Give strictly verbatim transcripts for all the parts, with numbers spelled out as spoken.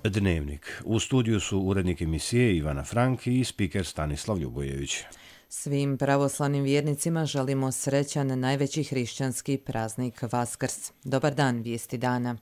Dnevnik. U studiju su urednik emisije Ivana Frank i spiker Stanislav Ljubojević. Svim pravoslavnim vjernicima želimo srećan najveći hrišćanski praznik Vaskrs. Dobar dan, vijesti dana.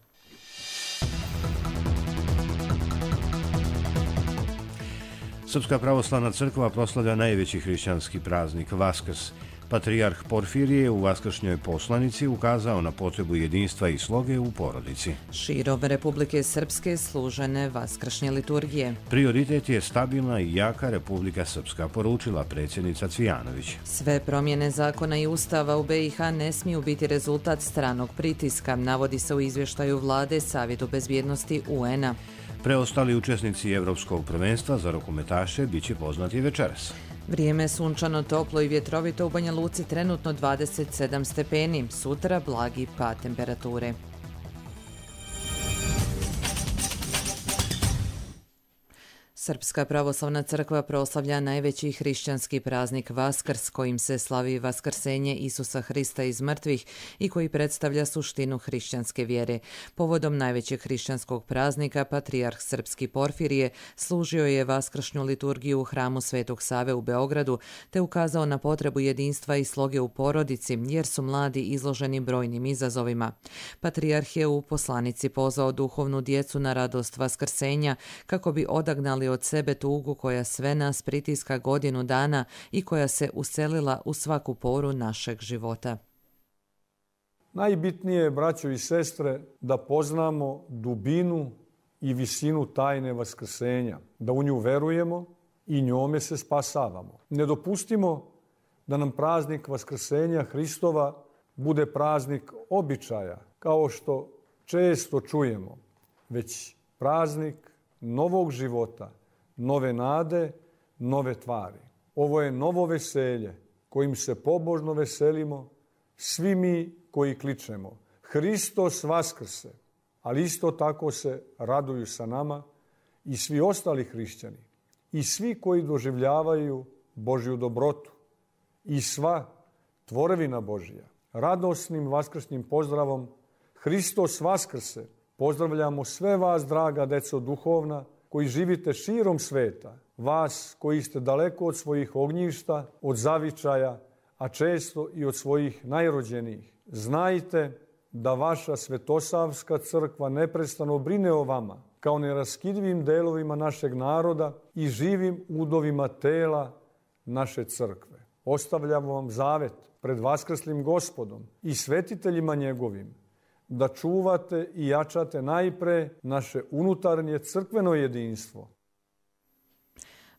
Srpska pravoslavna crkva proslavlja najveći hrišćanski praznik Vaskrs. Patrijarh Porfirije u vaskršnjoj poslanici ukazao na potrebu jedinstva i sloge u porodici. Širom Republike Srpske služene vaskršnje liturgije. Prioritet je stabilna i jaka Republika Srpska, poručila predsjednica Cvijanović. Sve promjene zakona i ustava u B i H ne smiju biti rezultat stranog pritiska, navodi se u izvještaju vlade Savjetu bezbjednosti U N-a. Preostali učesnici Evropskog prvenstva za rukometaše biće poznati večeras. Vrijeme sunčano, toplo i vjetrovito, u Banja Luci trenutno dvadeset sedam stepeni, sutra blagi pad temperature. Srpska pravoslavna crkva proslavlja najveći hrišćanski praznik Vaskrs, kojim se slavi vaskrsenje Isusa Hrista iz mrtvih i koji predstavlja suštinu hrišćanske vjere. Povodom najvećeg hrišćanskog praznika, patrijarh srpski Porfirije služio je vaskršnju liturgiju u hramu Svetog Save u Beogradu, te ukazao na potrebu jedinstva i sloge u porodici, jer su mladi izloženi brojnim izazovima. Patrijarh je u poslanici pozvao duhovnu djecu na radost vaskrsenja, kako bi odagnali od sebe tugu koja sve nas pritiska godinu dana i koja se uselila u svaku poru našeg života. Najbitnije je, braćo i sestre, da poznamo dubinu i visinu tajne vaskrsenja, da u nju verujemo i njome se spasavamo. Ne dopustimo da nam praznik vaskrsenja Hristova bude praznik običaja, kao što često čujemo, već praznik novog života, nove nade, nove tvari. Ovo je novo veselje kojim se pobožno veselimo svi mi koji kličemo Hristos vaskrse, ali isto tako se raduju sa nama i svi ostali hrišćani i svi koji doživljavaju Božju dobrotu i sva tvorevina Božja. Radosnim vaskršnjim pozdravom Hristos vaskrse pozdravljamo sve vas, draga deco duhovna, koji živite širom sveta, vas koji ste daleko od svojih ognjišta, od zavičaja, a često i od svojih najrođenijih. Znajte da vaša Svetosavska crkva neprestano brine o vama, kao neraskidivim delovima našeg naroda i živim udovima tela naše crkve. Ostavljamo vam zavet pred vaskrslim Gospodom i svetiteljima njegovim, da čuvate i jačate najpre naše unutarnje crkveno jedinstvo.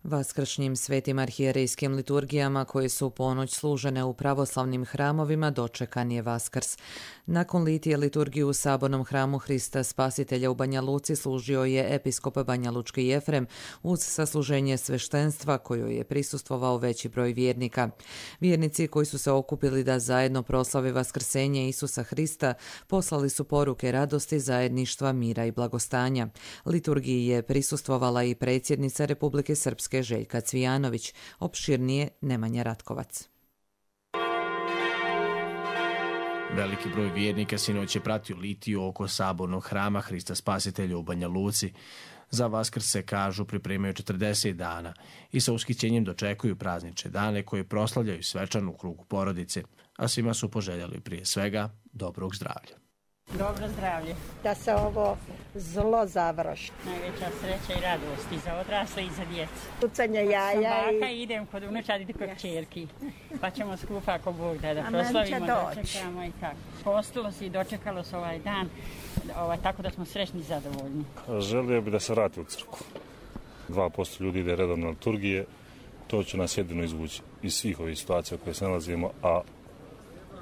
Vaskršnjim svetim arhijerejskim liturgijama koje su u ponoć služene u pravoslavnim hramovima dočekan je Vaskrs. Nakon litije liturgiju u sabornom hramu Hrista Spasitelja u Banja Luci služio je episkop banjalučki Jefrem uz sasluženje sveštenstva kojoj je prisustvovao veći broj vjernika. Vjernici koji su se okupili da zajedno proslave vaskrsenje Isusa Hrista poslali su poruke radosti, zajedništva, mira i blagostanja. Liturgiji je prisustvovala i predsjednica Republike Srpske Željka Cvijanović, opširnije Nemanja Ratkovac. Veliki broj vjernika sinoć je pratio litiju oko sabornog hrama Hrista Spasitelja u Banja Luci. Za Vaskrs se, kažu, pripremaju četrdeset dana i sa ushićenjem dočekuju praznične dane koje proslavljaju svečano u krugu porodice, a svima su poželjeli prije svega dobrog zdravlja. Dobro zdravlje. Da se ovo zlo završi. Najveća sreća i radost i za odrasle i za djecu. Pucanje jaja i... i idem kod unučadi i kod čerki. Pa ćemo skupa ako Bog da, da proslavimo, dočekamo i tako. Postilo se i dočekalo se ovaj dan, ovaj, tako da smo srećni i zadovoljni. Želio bi da se vrati u crkvu. dva posto ljudi ide redovno na liturgije. To će nas jedino izvući iz svih ovih situacija u koje se nalazimo, a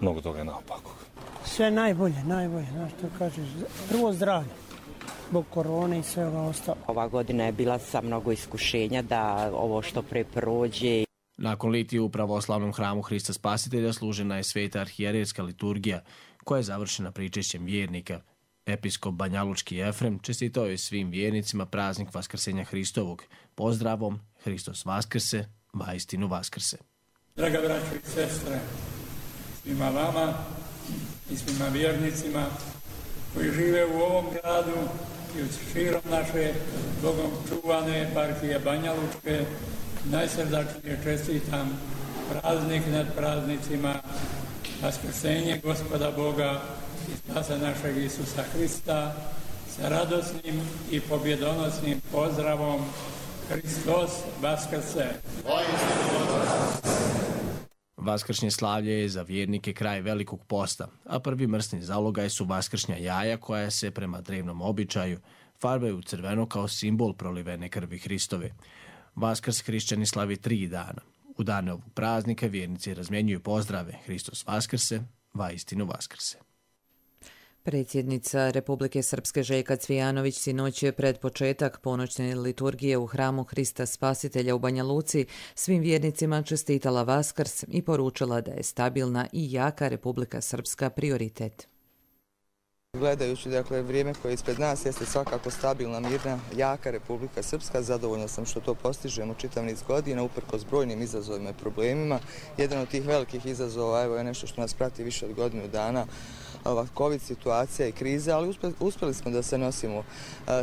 mnogo toga je naopako. Sve najbolje, najbolje, znaš što kažeš, prvo zdravlje, zbog korone i svega ostalo. Ova godina je bila sa mnogo iskušenja da ovo što pre prođe. Nakon litije u pravoslavnom hramu Hrista Spasitelja služena je sveta arhijerejska liturgija, koja je završena pričešćem vjernika. Episkop banjalučki Jefrem čestitao je svim vjernicima praznik Vaskrsenja Hristovog. Pozdravom, Hristos vaskrse, vaistinu vaskrse. Draga braćo i sestre, svima vama i svima vjernicima koji žive u ovom gradu i širom naše Bogom čuvane eparhije Banja Lučke najsrdačnije čestitam praznik nad praznicima, Vaskrsenje Gospoda Boga i spasa našeg Isusa Hrista sa radosnim i pobjedonosnim pozdravom Hristos Vaskrse! Vaskršnje slavlje je za vjernike kraj velikog posta, a prvi mrsni zalogaj su vaskršnja jaja koja se prema drevnom običaju farbaju u crveno kao simbol prolivene krvi Hristove. Vaskrs hrišćani slavi tri dana. U dane ovog praznika vjernici razmjenjuju pozdrave Hristos Vaskrse, vaistinu Vaskrse. Predsjednica Republike Srpske Željka Cvijanović sinoć je pred početak ponoćne liturgije u hramu Hrista Spasitelja u Banja Luci svim vjernicima čestitala Vaskrs i poručila da je stabilna i jaka Republika Srpska prioritet. Gledajući dakle, vrijeme koje je ispred nas jeste svakako stabilna, mirna, jaka Republika Srpska. Zadovoljna sam što to postižemo čitav niz godina, uprkos brojnim izazovima i problemima. Jedan od tih velikih izazova evo, je nešto što nas prati više od godinu dana, ova COVID situacija i kriza, ali uspjeli smo da se nosimo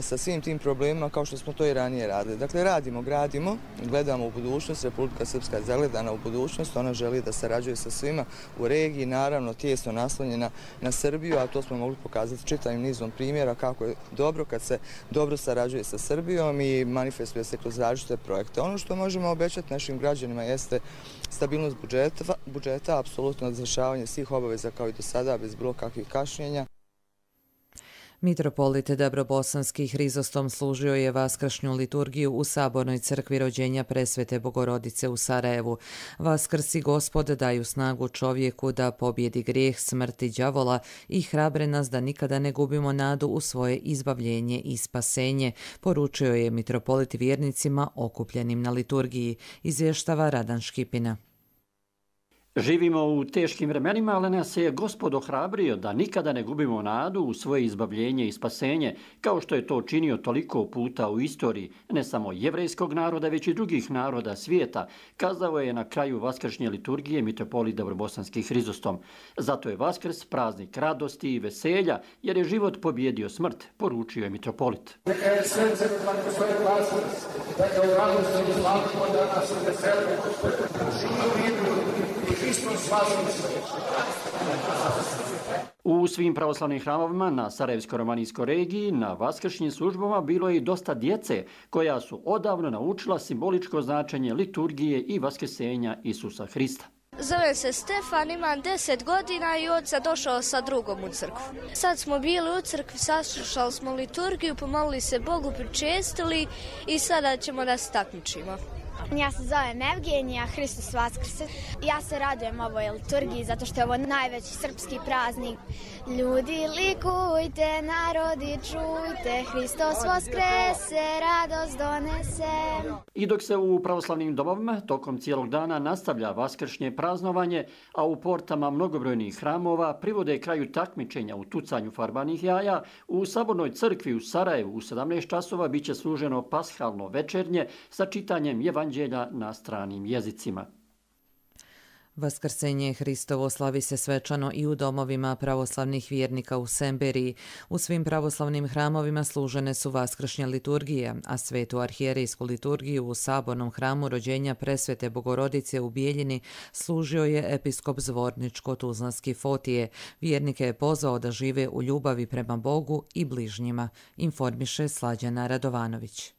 sa svim tim problemima kao što smo to i ranije radili. Dakle, radimo, gradimo, gledamo u budućnost, Republika Srpska je zagledana u budućnost, ona želi da sarađuje sa svima u regiji, naravno tijesno naslonjena na Srbiju, a to smo mogli pokazati čitavim nizom primjera kako je dobro kad se dobro sarađuje sa Srbijom i manifestuje se kroz različite projekte. Ono što možemo obećati našim građanima jeste stabilnost budžeta, budžeta apsolutno izvršavanje svih obaveza kao i do sada bez bilo kakvih kašnjenja. Mitropolit Dabrobosanski Hrizostom služio je vaskršnju liturgiju u Sabornoj crkvi rođenja Presvete Bogorodice u Sarajevu. Vaskrs i Gospod daju snagu čovjeku da pobjedi grijeh, smrt i đavola i hrabre nas da nikada ne gubimo nadu u svoje izbavljenje i spasenje, poručio je mitropolit vjernicima okupljenim na liturgiji, izvještava Radan Škipina. Živimo u teškim vremenima, ali nas je Gospod ohrabrio da nikada ne gubimo nadu u svoje izbavljenje i spasenje, kao što je to činio toliko puta u istoriji, ne samo jevrejskog naroda, već i drugih naroda svijeta, kazao je na kraju vaskršnje liturgije mitropolit Dabrobosanski Hrizostom. Zato je Vaskrs praznik radosti i veselja, jer je život pobjedio smrt, poručio je mitropolit. Neka je srce kako svoje Vaskrs, neka u radosti i slavimo danas i veselimo, živimo U svim pravoslavnim hramovima na Sarajevsko-romanijskoj regiji na vaskršnjim službama bilo je i dosta djece koja su odavno naučila simboličko značenje liturgije i vaskrsenja Isusa Hrista. Zovem se Stefan, imam deset godina i od sad došao sa drugom u crkvu. Sad smo bili u crkvi, saslušali smo liturgiju, pomolili se Bogu, pričestili i sada ćemo da se takmičimo. Ja se zovem Evgenija, Hristos Vaskrse. Ja se radujem ovoj liturgiji zato što je ovo najveći srpski praznik. Ljudi likujte, narodi čujte, Hristos Vaskrese, radost donese. I dok se u pravoslavnim domovima tokom cijelog dana nastavlja vaskršnje praznovanje, a u portama mnogobrojnih hramova privode kraju takmičenja u tucanju farbanih jaja, u Sabornoj crkvi u Sarajevu u sedamnaest časova bit će služeno pashalno večernje sa čitanjem evanđelja na stranim jezicima. Vaskrsenje Hristovo slavi se svečano i u domovima pravoslavnih vjernika u Semberiji. U svim pravoslavnim hramovima služene su vaskršnje liturgije, a svetu arhijerejsku liturgiju u Sabornom hramu rođenja Presvete Bogorodice u Bijeljini služio je episkop Zvorničko-Tuzlanski Fotije. Vjernike je pozvao da žive u ljubavi prema Bogu i bližnjima, informiše Slađana Radovanović.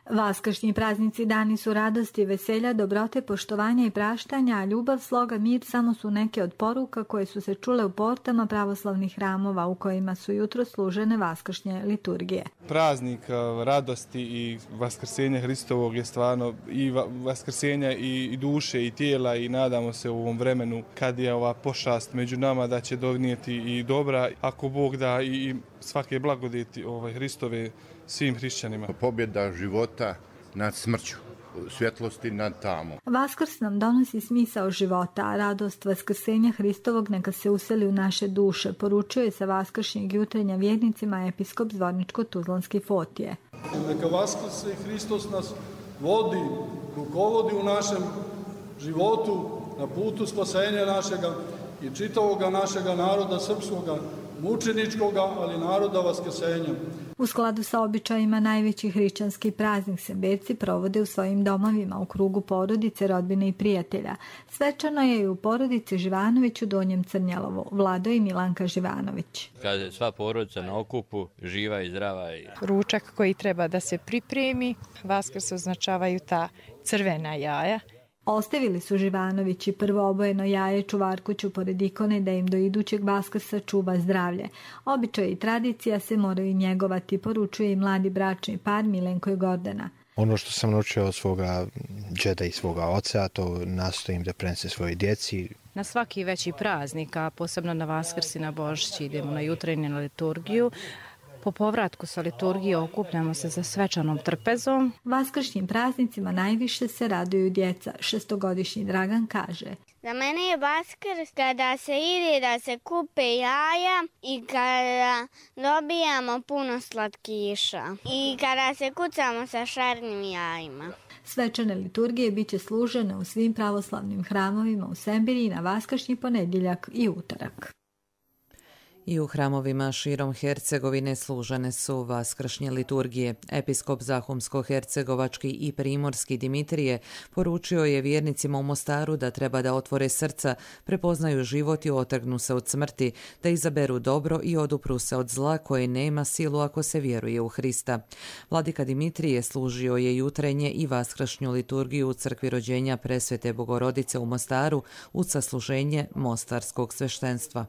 Vaskršnji praznici dani su radosti, veselja, dobrote, poštovanja i praštanja, a ljubav, sloga, mir samo su neke od poruka koje su se čule u portama pravoslavnih hramova u kojima su jutro služene vaskršnje liturgije. Praznik radosti i vaskrsenja Hristovog je stvarno i vaskrsenja i duše i tijela i nadamo se u ovom vremenu kad je ova pošast među nama da će donijeti i dobra, ako Bog da i svake blagodeti ovaj, Hristove svim hrišćanima. Pobjeda života nad smrću, svjetlosti nad tamom. Vaskrs nam donosi smisao života, a radost vaskrsenja Hristovog neka se useli u naše duše, poručio je sa vaskršnjeg jutrenja vjernicima episkop Zvorničko-Tuzlanski Fotije. Neka Vaskrse i Hristos nas vodi, rukovodi u našem životu na putu spasenja našega i čitavoga našega naroda srpskoga, mučeničkoga, ali naroda vaskrsenja. U skladu sa običajima najveći hrišćanski praznik se berci provode u svojim domovima u krugu porodice, rodbine i prijatelja. Svečano je i u porodici Živanović u Donjem Crnjalovu, Vlado i Milanka Živanović. Kad je sva porodica na okupu, živa i zdrava. Ručak koji treba da se pripremi, Vaskrs označavaju ta crvena jaja. Ostavili su Živanovići prvo obojeno jaje čuvarkuću pored ikone da im do idućeg Vaskrsa čuva zdravlje. Običaj i tradicija se moraju njegovati, poručuje i mladi bračni par Milenko i Gordana. Ono što sam naučio od svoga džeda i svoga oca, to nastojim da prenesem svojoj djeci. Na svaki veći praznik, a posebno na Vaskrs i na Božić, idemo na jutrenje na liturgiju. Po povratku sa liturgije okupljamo se za svečanom trpezom. Vaskršnjim praznicima najviše se raduju djeca. Šestogodišnji Dragan kaže: Za mene je Vaskrs kada se ide da se kupe jaja i kada dobijamo puno slatkiša i kada se kucamo sa šarnim jajima. Svečane liturgije bit će služene u svim pravoslavnim hramovima u Sembiriji na vaskršnji ponedjeljak i utorak. I u hramovima širom Hercegovine služene su vaskršnje liturgije. Episkop Zahumsko-hercegovački i primorski Dimitrije poručio je vjernicima u Mostaru da treba da otvore srca, prepoznaju život i otrgnu se od smrti, da izaberu dobro i odupru se od zla koje nema silu ako se vjeruje u Hrista. Vladika Dimitrije služio je jutrenje i vaskršnju liturgiju u crkvi rođenja Presvete Bogorodice u Mostaru uz sasluženje mostarskog sveštenstva.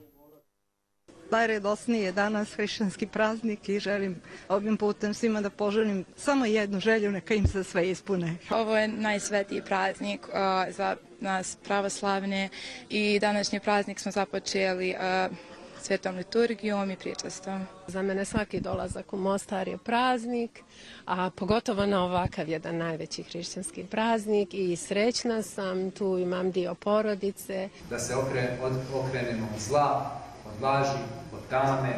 Najredosniji je danas hrišćanski praznik i želim ovim putem svima da poželim samo jednu želju, neka im se sve ispune. Ovo je najsvetiji praznik uh, za nas pravoslavne i današnji praznik smo započeli uh, svetom liturgijom i pričastvom. Za mene svaki dolazak u Mostar je praznik, a pogotovo na ovakav jedan najveći hrišćanski praznik i srećna sam, tu imam dio porodice. Da se okre, od, okrenemo od zla, od laži, od tame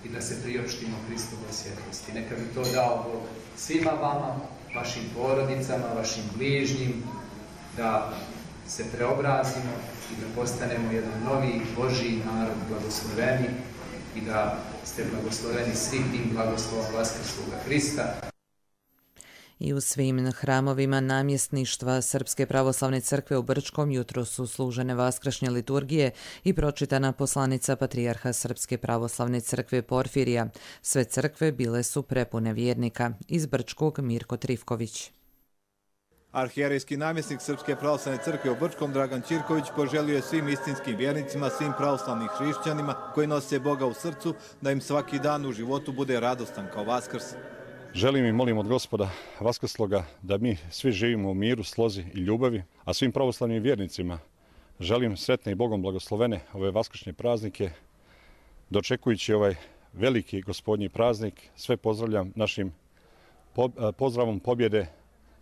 i da se priopštimo Hristovoj svjetlosti. Neka bi to dao Bog svima vama, vašim porodicama, vašim bližnjim, da se preobrazimo i da postanemo jedan novi Božji narod blagosloveni i da ste blagosloveni svim tim blagoslovom Vaskrsloga Hrista. I u svim hramovima namjesništva Srpske pravoslavne crkve u Brčkom jutro su služene vaskršnje liturgije i pročitana poslanica patrijarha Srpske pravoslavne crkve Porfirija. Sve crkve bile su prepune vjernika. Iz Brčkog Mirko Trifković. Arhijerejski namjesnik Srpske pravoslavne crkve u Brčkom Dragan Ćirković poželio je svim istinskim vjernicima, svim pravoslavnim hrišćanima koji nose Boga u srcu, da im svaki dan u životu bude radostan kao Vaskrs. Želim i molim od Gospoda Vaskrsloga da mi svi živimo u miru, slozi i ljubavi, a svim pravoslavnim vjernicima želim sretne i Bogom blagoslovene ove vaskršnje praznike. Dočekujući ovaj veliki gospodnji praznik, sve pozdravljam našim pozdravom pobjede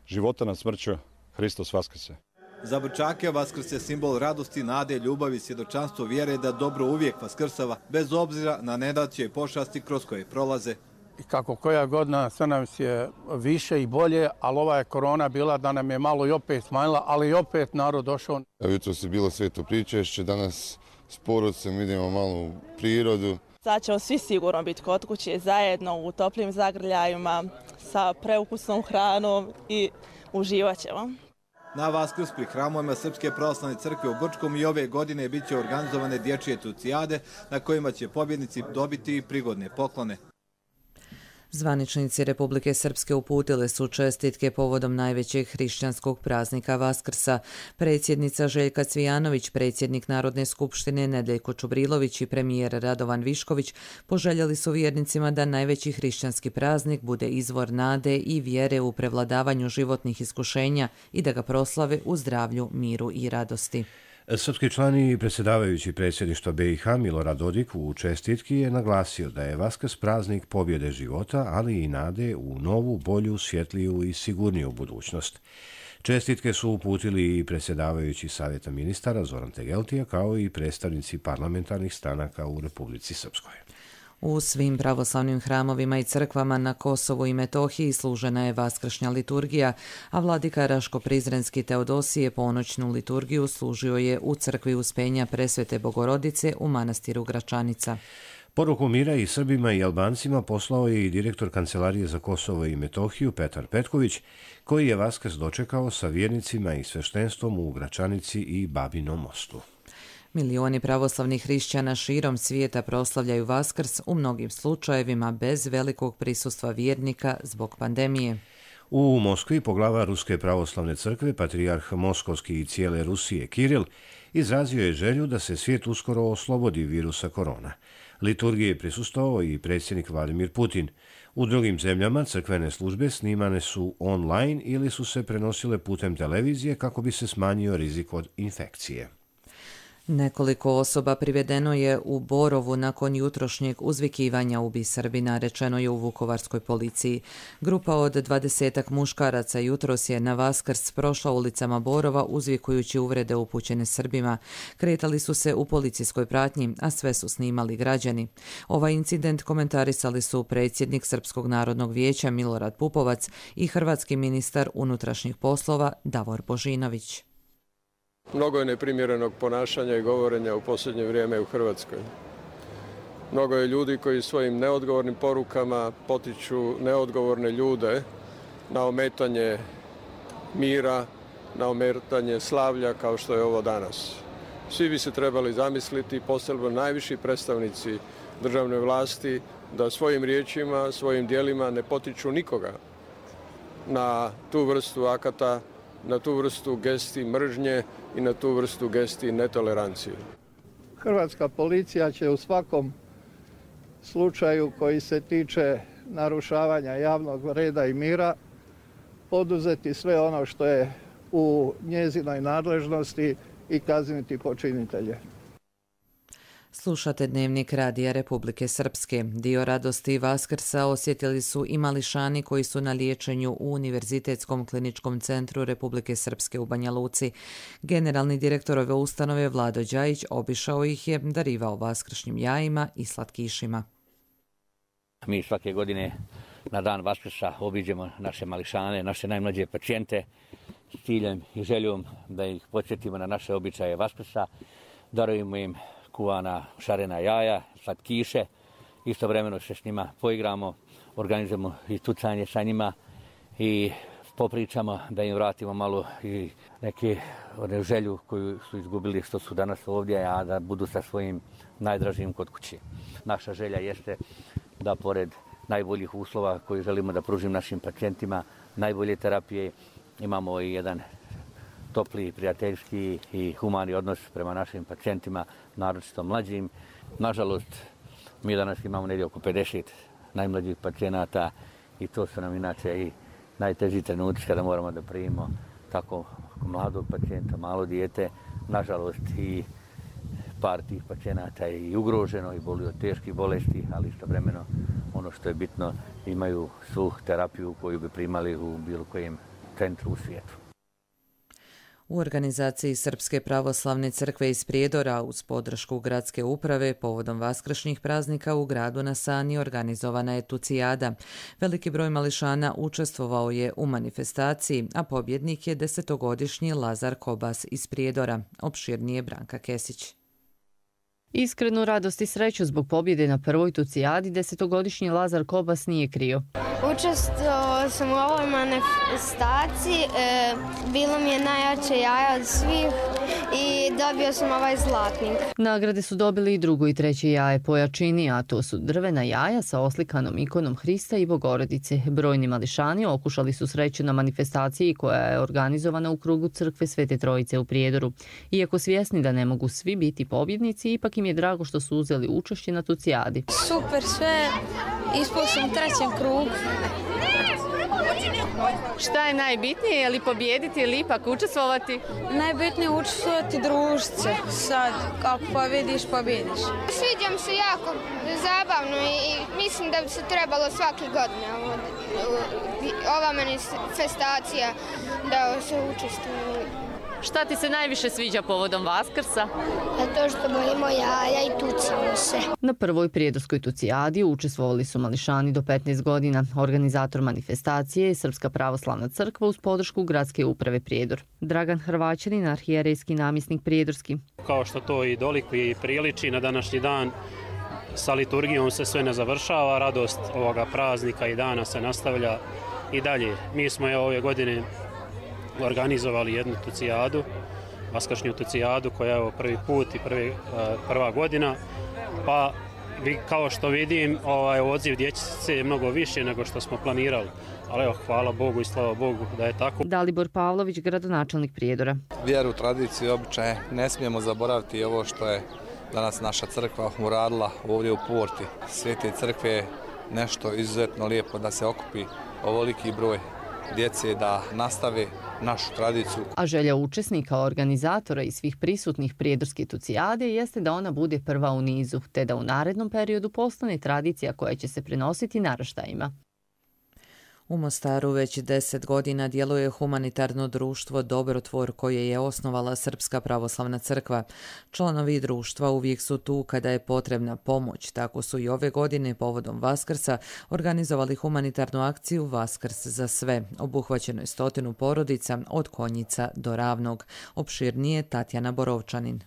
života nad smrću. Hristos Vaskrse. Za Brčake Vaskrs je simbol radosti, nade, ljubavi, svjedočanstvo vjere da dobro uvijek vaskrsava, bez obzira na nedaće i pošasti kroz koje prolaze. I kako koja godina sve nam je više i bolje, ali ova je korona bila da nam je malo i opet smanjila, ali i opet narod došao. Jutro se bilo sveto pričešće, danas s porodcem idemo malo u prirodu. Sad ćemo svi sigurno biti kod kuće zajedno u toplim zagrljajima sa preukusnom hranom i uživat ćemo. Na Vaskrs pri hramovima Srpske pravoslavne crkve u Brčkom i ove godine bit će organizovane dječje tucijade na kojima će pobjednici dobiti i prigodne poklone. Zvaničnici Republike Srpske uputile su čestitke povodom najvećeg hrišćanskog praznika Vaskrsa. Predsjednica Željka Cvijanović, predsjednik Narodne skupštine Nedeljko Čubrilović i premijer Radovan Višković poželjeli su vjernicima da najveći hrišćanski praznik bude izvor nade i vjere u prevladavanju životnih iskušenja i da ga proslave u zdravlju, miru i radosti. Srpski član i predsjedavajući predsjedništva B i H Milorad Dodik u čestitki je naglasio da je Vaskrs praznik pobjede života, ali i nade u novu, bolju, svjetliju i sigurniju budućnost. Čestitke su uputili i predsjedavajući Savjeta ministara Zoran Tegeltija, kao i predstavnici parlamentarnih stranaka u Republici Srpskoj. U svim pravoslavnim hramovima i crkvama na Kosovu i Metohiji služena je vaskršnja liturgija, a vladika Raško-Prizrenski Teodosije ponoćnu liturgiju služio je u crkvi Uspenja Presvete Bogorodice u manastiru Gračanica. Poruku mira i Srbima i Albancima poslao je i direktor Kancelarije za Kosovo i Metohiju Petar Petković, koji je Vaskrs dočekao sa vjernicima i sveštenstvom u Gračanici i Babinom Mostu. Milioni pravoslavnih hrišćana širom svijeta proslavljaju Vaskrs, u mnogim slučajevima bez velikog prisustva vjernika zbog pandemije. U Moskvi poglava Ruske pravoslavne crkve, patrijarh Moskovski i cijele Rusije Kiril, izrazio je želju da se svijet uskoro oslobodi virusa korona. Liturgiji je prisustvovao i predsjednik Vladimir Putin. U drugim zemljama crkvene službe snimane su online ili su se prenosile putem televizije kako bi se smanjio rizik od infekcije. Nekoliko osoba privedeno je u Borovu nakon jutrošnjeg uzvikivanja "Ubi Srbina", rečeno je u vukovarskoj policiji. Grupa od dvadesetak muškaraca jutros je na Vaskrs prošla ulicama Borova uzvikujući uvrede upućene Srbima. Kretali su se u policijskoj pratnji, a sve su snimali građani. Ovaj incident komentarisali su predsjednik Srpskog narodnog vijeća Milorad Pupovac i hrvatski ministar unutrašnjih poslova Davor Božinović. Mnogo je neprimjerenog ponašanja i govorenja u posljednje vrijeme u Hrvatskoj. Mnogo je ljudi koji svojim neodgovornim porukama potiču neodgovorne ljude na ometanje mira, na ometanje slavlja kao što je ovo danas. Svi bi se trebali zamisliti, posebno najviši predstavnici državne vlasti, da svojim riječima, svojim dijelima ne potiču nikoga na tu vrstu akata, na tu vrstu gesti mržnje i na tu vrstu gesti netolerancije. Hrvatska policija će u svakom slučaju koji se tiče narušavanja javnog reda i mira poduzeti sve ono što je u njezinoj nadležnosti i kazniti počinitelje. Slušate Dnevnik Radija Republike Srpske. Dio radosti Vaskrsa osjetili su i mališani koji su na liječenju u Univerzitetskom kliničkom centru Republike Srpske u Banja Luci. Generalni direktor ove ustanove Vlado Đajić obišao ih je, darivao vaskršnjim jajima i slatkišima. Mi svake godine na dan Vaskrsa obiđemo naše mališane, naše najmlađe pacijente s ciljem i željom da ih podsjetimo na naše običaje Vaskrsa, darujemo im kuvana šarena jaja, slatkiše, istovremeno se s njima poigramo, organizujemo i tucanje sa njima i popričamo da im vratimo malo i neke one želju koju su izgubili što su danas ovdje, a da budu sa svojim najdražim kod kući. Naša želja jeste da pored najboljih uslova koje želimo da pružimo našim pacijentima, najbolje terapije, imamo i jedan topli, prijateljski i humani odnos prema našim pacijentima, naročito mlađim. Nažalost, mi danas imamo negdje oko pedeset najmlađih pacijenata i to su nam inače i najteži trenuci kada moramo da primimo tako mladog pacijenta, malo dijete. Nažalost, i par tih pacijenata je i ugroženo i boli od teških bolesti, ali istovremeno ono što je bitno, imaju svu terapiju koju bi primali u bilo kojem centru u svijetu. U organizaciji Srpske pravoslavne crkve iz Prijedora uz podršku gradske uprave povodom vaskršnjih praznika u gradu na Sani organizovana je tucijada. Veliki broj mališana učestvovao je u manifestaciji, a pobjednik je desetogodišnji Lazar Kobas iz Prijedora. Opširnije Branka Kesić. Iskrenu radost i sreću zbog pobjede na prvoj tucijadi desetogodišnji Lazar Kobas nije krio. Učestvovao sam u ovoj manifestaciji, e, bilo mi je najjače jaja od svih i dobio sam ovaj zlatnik. Nagrade su dobili i drugo i treće jaje po jačini, a to su drvena jaja sa oslikanom ikonom Hrista i Bogorodice. Brojni mališani okušali su sreću na manifestaciji koja je organizovana u krugu crkve Svete Trojice u Prijedoru. Iako svjesni da ne mogu svi biti pobjednici, ipak im je drago što su uzeli učešće na tucijadi. Super sve, ispao sam u trećem krugu. Šta je najbitnije, je li pobjediti ili ipak učestvovati? Najbitnije je učestvovati, družiti se. Sad, kako pobjediš, pobjediš. Sviđa mi se jako zabavno i mislim da bi se trebalo svake godine ova manifestacija da se učestvuje. Šta ti se najviše sviđa povodom Vaskrsa? To što bolimo jaja i tucimo se. Na prvoj prijedorskoj tucijadi učestvovali su mališani do petnaest godina. Organizator manifestacije je Srpska pravoslavna crkva uz podršku gradske uprave Prijedor. Dragan Hrvaćanin, arhijerejski namjesnik prijedorski. Kao što to i dolikuje i priliči na današnji dan, sa liturgijom se sve ne završava, radost ovoga praznika i dana se nastavlja i dalje. Mi smo je ove godine organizovali jednu tucijadu, vaskršnju tucijadu koja je prvi put i prvi, prva godina, pa kao što vidim, ovaj odziv dječice je mnogo više nego što smo planirali. Ali evo, hvala Bogu i slava Bogu da je tako. Dalibor Pavlović, gradonačelnik Prijedora. Vjeru, tradiciju i običaje ne smijemo zaboraviti ovo što je danas naša crkva uradila ovdje u Porti. Svete crkve je nešto izuzetno lijepo da se okupi ovoliki broj djece, da nastave našu tradiciju. A želja učesnika, organizatora i svih prisutnih prijedorske tucijade jeste da ona bude prva u nizu, te da u narednom periodu postane tradicija koja će se prenositi naraštajima. U Mostaru već deset godina djeluje humanitarno društvo Dobrotvor koje je osnovala Srpska pravoslavna crkva. Članovi društva uvijek su tu kada je potrebna pomoć. Tako su i ove godine povodom Vaskrsa organizovali humanitarnu akciju Vaskrs za sve. Obuhvaćeno je stotinu porodica od Konjica do Ravnog. Opširnije Tatjana Borovčanin.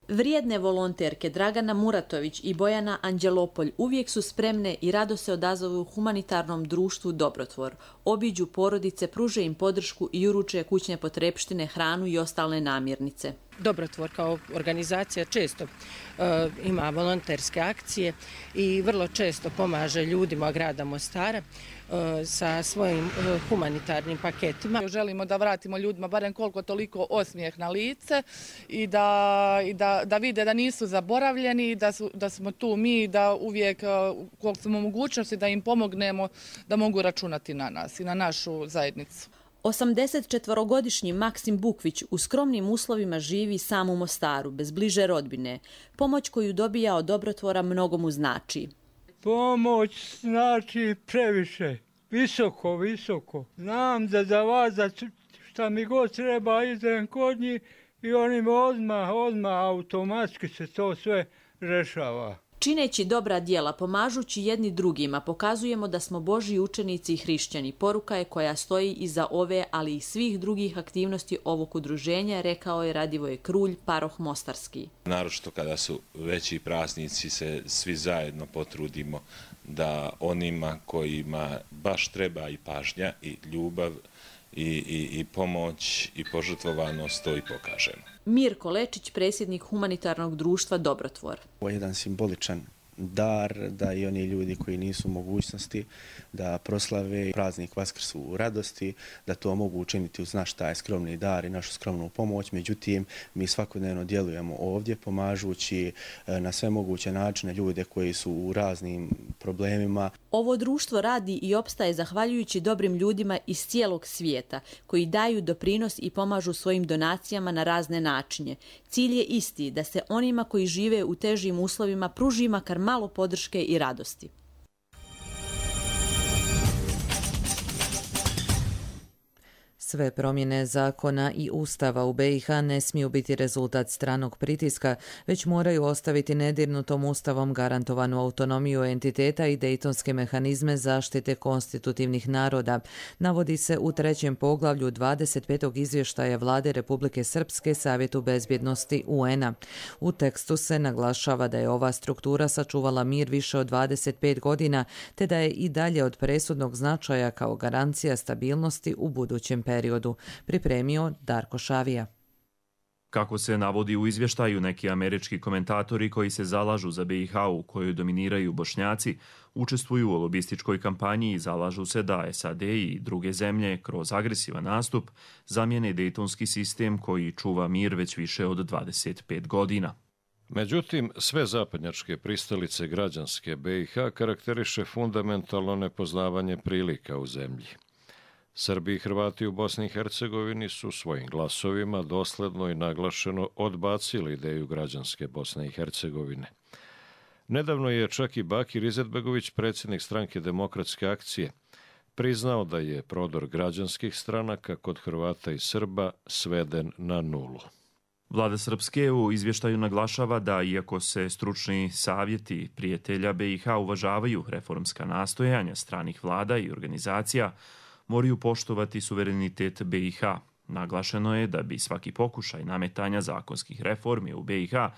Vrijedne volonterke Dragana Muratović i Bojana Anđelopolj uvijek su spremne i rado se odazovu humanitarnom društvu Dobrotvor. Obiđu porodice, pruže im podršku i uruče kućne potrepštine, hranu i ostale namirnice. Dobrotvor kao organizacija često uh, ima volonterske akcije i vrlo često pomaže ljudima grada Mostara uh, sa svojim uh, humanitarnim paketima. Želimo da vratimo ljudima barem koliko toliko osmijeh na lice i da, i da, da vide da nisu zaboravljeni, da, su, da smo tu mi, da uvijek uh, koliko smo mogućnosti da im pomognemo da mogu računati na nas i na našu zajednicu. osamdesetčetvorogodišnji Maksim Bukvić u skromnim uslovima živi sam u Mostaru, bez bliže rodbine. Pomoć koju dobija od Dobrotvora mnogo mu znači. Pomoć znači previše, visoko, visoko. Znam da za vas, da šta mi god treba, idem kod njih i oni odmah, odmah automatski se to sve rešava. Čineći dobra djela, pomažući jedni drugima, pokazujemo da smo Božji učenici i hrišćani. Poruka je koja stoji iza ove, ali i svih drugih aktivnosti ovog udruženja, rekao je Radivoje Krulj, paroh Mostarski. Naročito kada su veći praznici se svi zajedno potrudimo da onima kojima baš treba i pažnja i ljubav i, i, i pomoć i požrtvovanost to i pokažemo. Mirko Lečić, predsjednik humanitarnog društva Dobrotvor. Ovo je jedan simboličan dar da i oni ljudi koji nisu u mogućnosti da proslave praznik Vaskrsu u radosti, da to mogu učiniti uz naš taj skromni dar i našu skromnu pomoć. Međutim, mi svakodnevno djelujemo ovdje pomažući na sve moguće načine ljude koji su u raznim problemima. Ovo društvo radi i opstaje zahvaljujući dobrim ljudima iz cijelog svijeta koji daju doprinos i pomažu svojim donacijama na razne načine. Cilj je isti, da se onima koji žive u težim uslovima pruži makar malo podrške i radosti. Sve promjene zakona i ustava u be i ha ne smiju biti rezultat stranog pritiska, već moraju ostaviti nedirnutom ustavom garantovanu autonomiju entiteta i dejtonske mehanizme zaštite konstitutivnih naroda, navodi se u trećem poglavlju dvadeset petog izvještaja Vlade Republike Srpske Savjetu bezbjednosti u en a. U tekstu se naglašava da je ova struktura sačuvala mir više od dvadeset pet godina, te da je i dalje od presudnog značaja kao garancija stabilnosti u budućem periodu. periodu, pripremio Darko Šavija. Kako se navodi u izvještaju, neki američki komentatori koji se zalažu za be i ha u kojoj dominiraju Bošnjaci učestvuju u lobističkoj kampanji i zalažu se da es a de i druge zemlje kroz agresivan nastup zamijene dejtonski sistem koji čuva mir već više od dvadeset pet godina. Međutim, sve zapadnjačke pristalice građanske be i ha karakteriše fundamentalno nepoznavanje prilika u zemlji. Srbi i Hrvati u Bosni i Hercegovini su svojim glasovima dosledno i naglašeno odbacili ideju građanske Bosne i Hercegovine. Nedavno je čak i Bakir Izetbegović, predsjednik stranke Demokratske akcije, priznao da je prodor građanskih stranaka kod Hrvata i Srba sveden na nulu. Vlada Srpske u izvještaju naglašava da, iako se stručni savjeti prijatelja be i ha uvažavaju reformska nastojanja stranih vlada i organizacija, moraju poštovati suverenitet be i ha. Naglašeno je da bi svaki pokušaj nametanja zakonskih reformi u B i H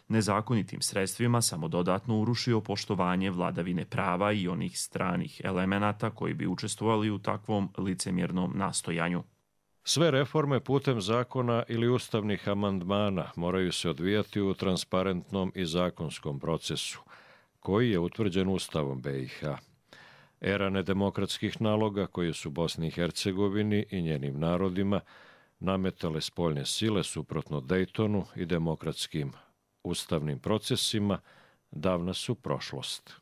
nezakonitim sredstvima samo dodatno urušio poštovanje vladavine prava i onih stranih elemenata koji bi učestvovali u takvom licemjernom nastojanju. Sve reforme putem zakona ili ustavnih amandmana moraju se odvijati u transparentnom i zakonskom procesu, koji je utvrđen Ustavom B i H. Era nedemokratskih naloga koje su Bosni i Hercegovini i njenim narodima nametale spoljne sile suprotno Dejtonu i demokratskim ustavnim procesima davna su prošlost.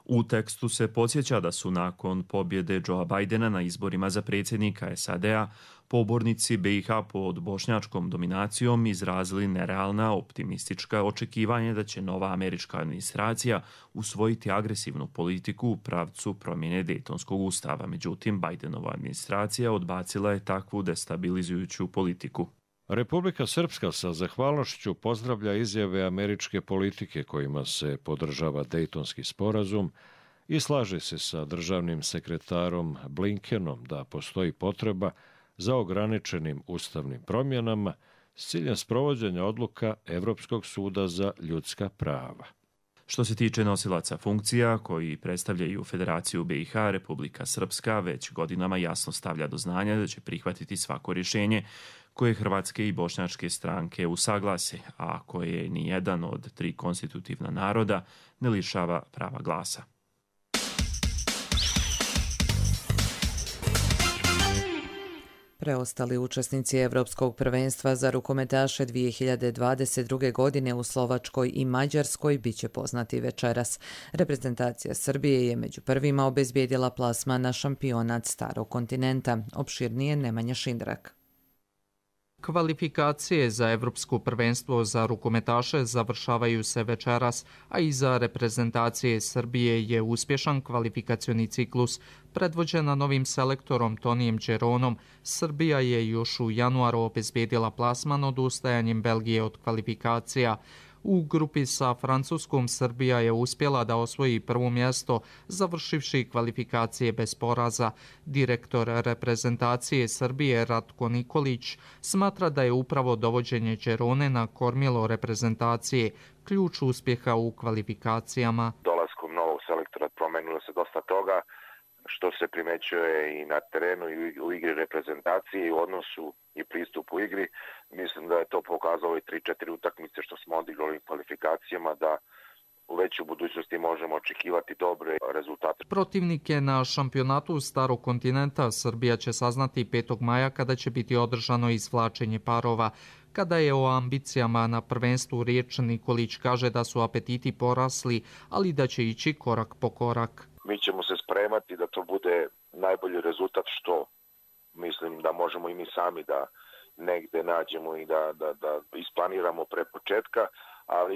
U tekstu se podsjeća da su nakon pobjede Joea Bidena na izborima za predsjednika S A D-a pobornici B i H pod bošnjačkom dominacijom izrazili nerealna optimistička očekivanja da će nova američka administracija usvojiti agresivnu politiku u pravcu promjene Dejtonskog ustava. Međutim, Bidenova administracija odbacila je takvu destabilizujuću politiku. Republika Srpska sa zahvalnošću pozdravlja izjave američke politike kojima se podržava Dejtonski sporazum i slaže se sa državnim sekretarom Blinkenom da postoji potreba za ograničenim ustavnim promjenama s ciljem sprovođenja odluka Evropskog suda za ljudska prava. Što se tiče nosilaca funkcija koji predstavljaju Federaciju B i H, Republika Srpska već godinama jasno stavlja do znanja da će prihvatiti svako rješenje koje hrvatske i bošnjačke stranke usaglase, a koje ni jedan od tri konstitutivna naroda ne lišava prava glasa. Preostali učesnici Evropskog prvenstva za rukometaše dvije hiljade dvadeset druge. godine u Slovačkoj i Mađarskoj bit će poznati večeras. Reprezentacija Srbije je među prvima obezbijedila plasman na šampionat Starog kontinenta. Opširnije Nemanja Šindrak. Kvalifikacije za Evropsko prvenstvo za rukometaše završavaju se večeras, a i za reprezentacije Srbije je uspješan kvalifikacioni ciklus. Predvođena novim selektorom Tonijem Đeronom, Srbija je još u januaru obezbijedila plasman odustajanjem Belgije od kvalifikacija. U grupi sa Francuskom Srbija je uspjela da osvoji prvo mjesto, završivši kvalifikacije bez poraza. Direktor reprezentacije Srbije Ratko Nikolić smatra da je upravo dovođenje Đerone na kormilo reprezentacije ključ uspjeha u kvalifikacijama. Dolaskom novog selektora promenilo se dosta toga, što se primećuje i na terenu i u igri reprezentacije i u odnosu i pristupu igri. Mislim da je to pokazalo i tri četiri utakmice što smo odigrali u kvalifikacijama, da već u budućnosti možemo očekivati dobre rezultate. Protivnike na šampionatu Starog kontinenta Srbija će saznati petog maja kada će biti održano izvlačenje parova. Kada je o ambicijama na prvenstvu riječ, Nikolić kaže da su apetiti porasli, ali da će ići korak po korak. Mi ćemo se spremati da to bude najbolji rezultat što mislim da možemo i mi sami da negde nađemo i da, da, da isplaniramo pre početka, ali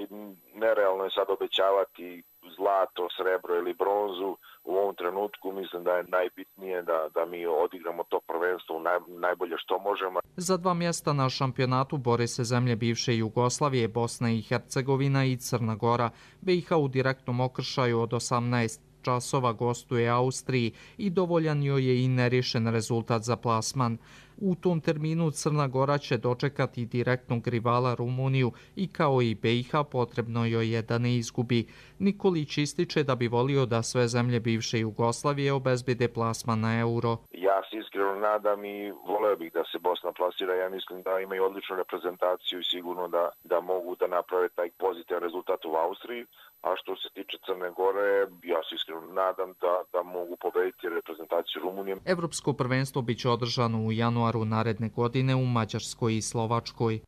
nerealno je sad obećavati zlato, srebro ili bronzu. U ovom trenutku mislim da je najbitnije da, da mi odigramo to prvenstvo naj, najbolje što možemo. Za dva mjesta na šampionatu bore se zemlje bivše Jugoslavije, Bosna i Hercegovina i Crna Gora. B i H u direktnom okršaju od osamnaest časova gostuje Austriji i dovoljan joj je i nerješen rezultat za plasman. U tom terminu Crna Gora će dočekati direktnog rivala Rumuniju i kao i B i H potrebno joj je da ne izgubi. Nikolić ističe da bi volio da sve zemlje bivše Jugoslavije obezbede plasman na euro. Ja se iskreno nadam i voleo bih da se Bosna plasira. Ja mislim da imaju odličnu reprezentaciju i sigurno da, da mogu da naprave taj pozitivan rezultat u Austriji. A što se tiče Crne Gore, ja se iskreno nadam da, da mogu pobediti reprezentaciju Rumunije. Evropsko prvenstvo biće održano u januaru naredne godine u Mađarskoj i Slovačkoj.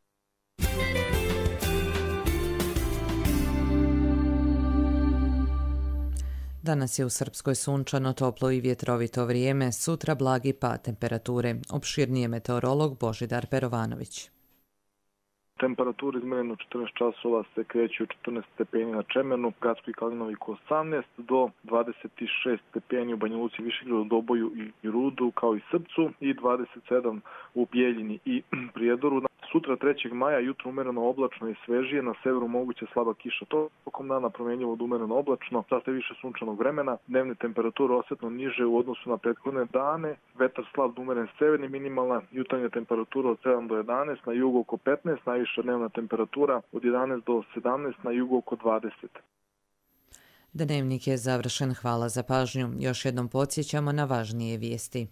Danas je u Srpskoj sunčano, toplo i vjetrovito vrijeme, sutra blagi pad temperature. Opširnije meteorolog Božidar Perovanović. Temperatura izmjerena u četrnaest časova se kreće u četrnaest stepeni na Čemenu, Gradskoj Kalinoviku osamnaest do dvadeset šest stepeni u Banja Luci, Višegradu, Doboju i Rudu kao i Srpcu i dvadeset sedam u Bijeljini i Prijedoru. Sutra trećeg maja jutro umereno oblačno i svežije, na severu moguće slaba kiša. Tokom dana promjenjivo od umereno oblačno, sasvim više sunčanog vremena, dnevne temperature osjetno niže u odnosu na prethodne dane, vetar slab do umeren severni, minimalna jutarnja temperatura od sedam do jedanaest, na jugu oko petnaest, najviša dnevna temperatura od jedanaest do sedamnaest, na jugu oko dvadeset. Dnevnik je završen, hvala za pažnju. Još jednom podsjećamo na važnije vijesti.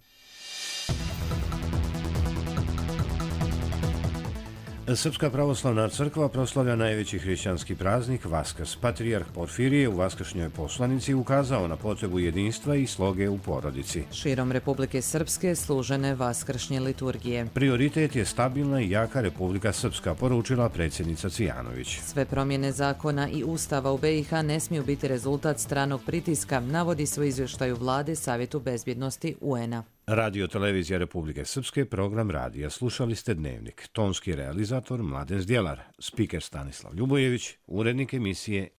Srpska pravoslavna crkva proslavlja najveći hrišćanski praznik Vaskrs. Patrijarh Porfirije u vaskršnjoj poslanici ukazao na potrebu jedinstva i sloge u porodici. Širom Republike Srpske služene vaskršnje liturgije. Prioritet je stabilna i jaka Republika Srpska, poručila predsjednica Cvijanović. Sve promjene zakona i ustava u B i H ne smiju biti rezultat stranog pritiska, navodi se u izvještaju vlade Savjetu bezbjednosti U N A. Radio Televizija Republike Srpske, program radija. Slušali ste Dnevnik. Tonski realizator Mladen Zdjelar, spiker Stanislav Ljubojević, urednik emisije